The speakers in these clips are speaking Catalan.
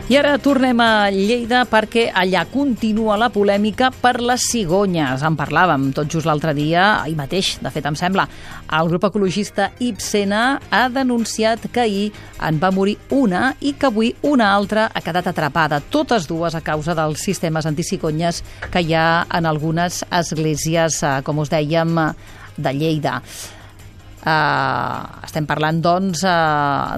I ara tornem a Lleida perquè allà continua la polèmica per les cigonyes. En parlàvem tot just l'altre dia, ahir mateix, de fet em sembla. El grup ecologista Ibsena ha denunciat que ahir en va morir una i que avui una altra ha quedat atrapada. Totes dues a causa dels sistemes anticigonyes que hi ha en algunes esglésies, com us dèiem, de Lleida. Estem parlant, doncs,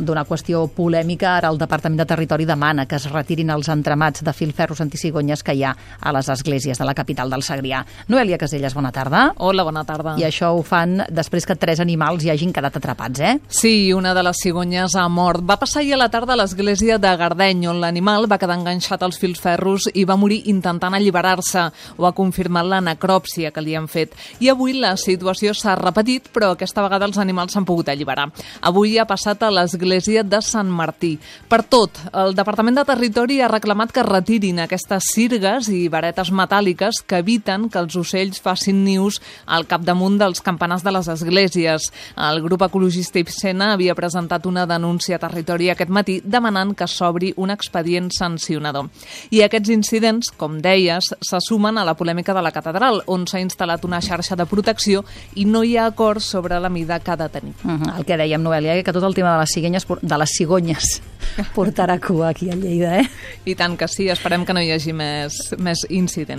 d'una qüestió polèmica. Ara el Departament de Territori demana que es retirin els entramats de filferros anticigonyes que hi ha a les esglésies de la capital del Segrià. Noelia Caselles, bona tarda. Hola, bona tarda. I això ho fan després que 3 animals hi hagin quedat atrapats, eh? Sí, una de les cigonyes ha mort. Va passar ahir a la tarda a l'església de Gardeny, on l'animal va quedar enganxat als filferros i va morir intentant alliberar-se. Ho ha confirmat la necròpsia que li han fet. I avui la situació s'ha repetit, però aquesta vegada els animals s'han pogut alliberar. Avui ha passat a l'església de Sant Martí. Per tot, el Departament de Territori ha reclamat que retirin aquestes sirgues i varetes metàl·liques que eviten que els ocells facin nius al capdamunt dels campanars de les esglésies. El grup ecologista Ibsena havia presentat una denúncia a Territori aquest matí demanant que s'obri un expedient sancionador. I aquests incidents, com deies, se sumen a la polèmica de la catedral, on s'ha instal·lat una xarxa de protecció i no hi ha acord sobre la mida que ha de tenir. El que dèiem, Noelia, que tot el tema de les cigonyes portarà cua aquí a Lleida, eh? I tant que sí, esperem que no hi hagi més incidents.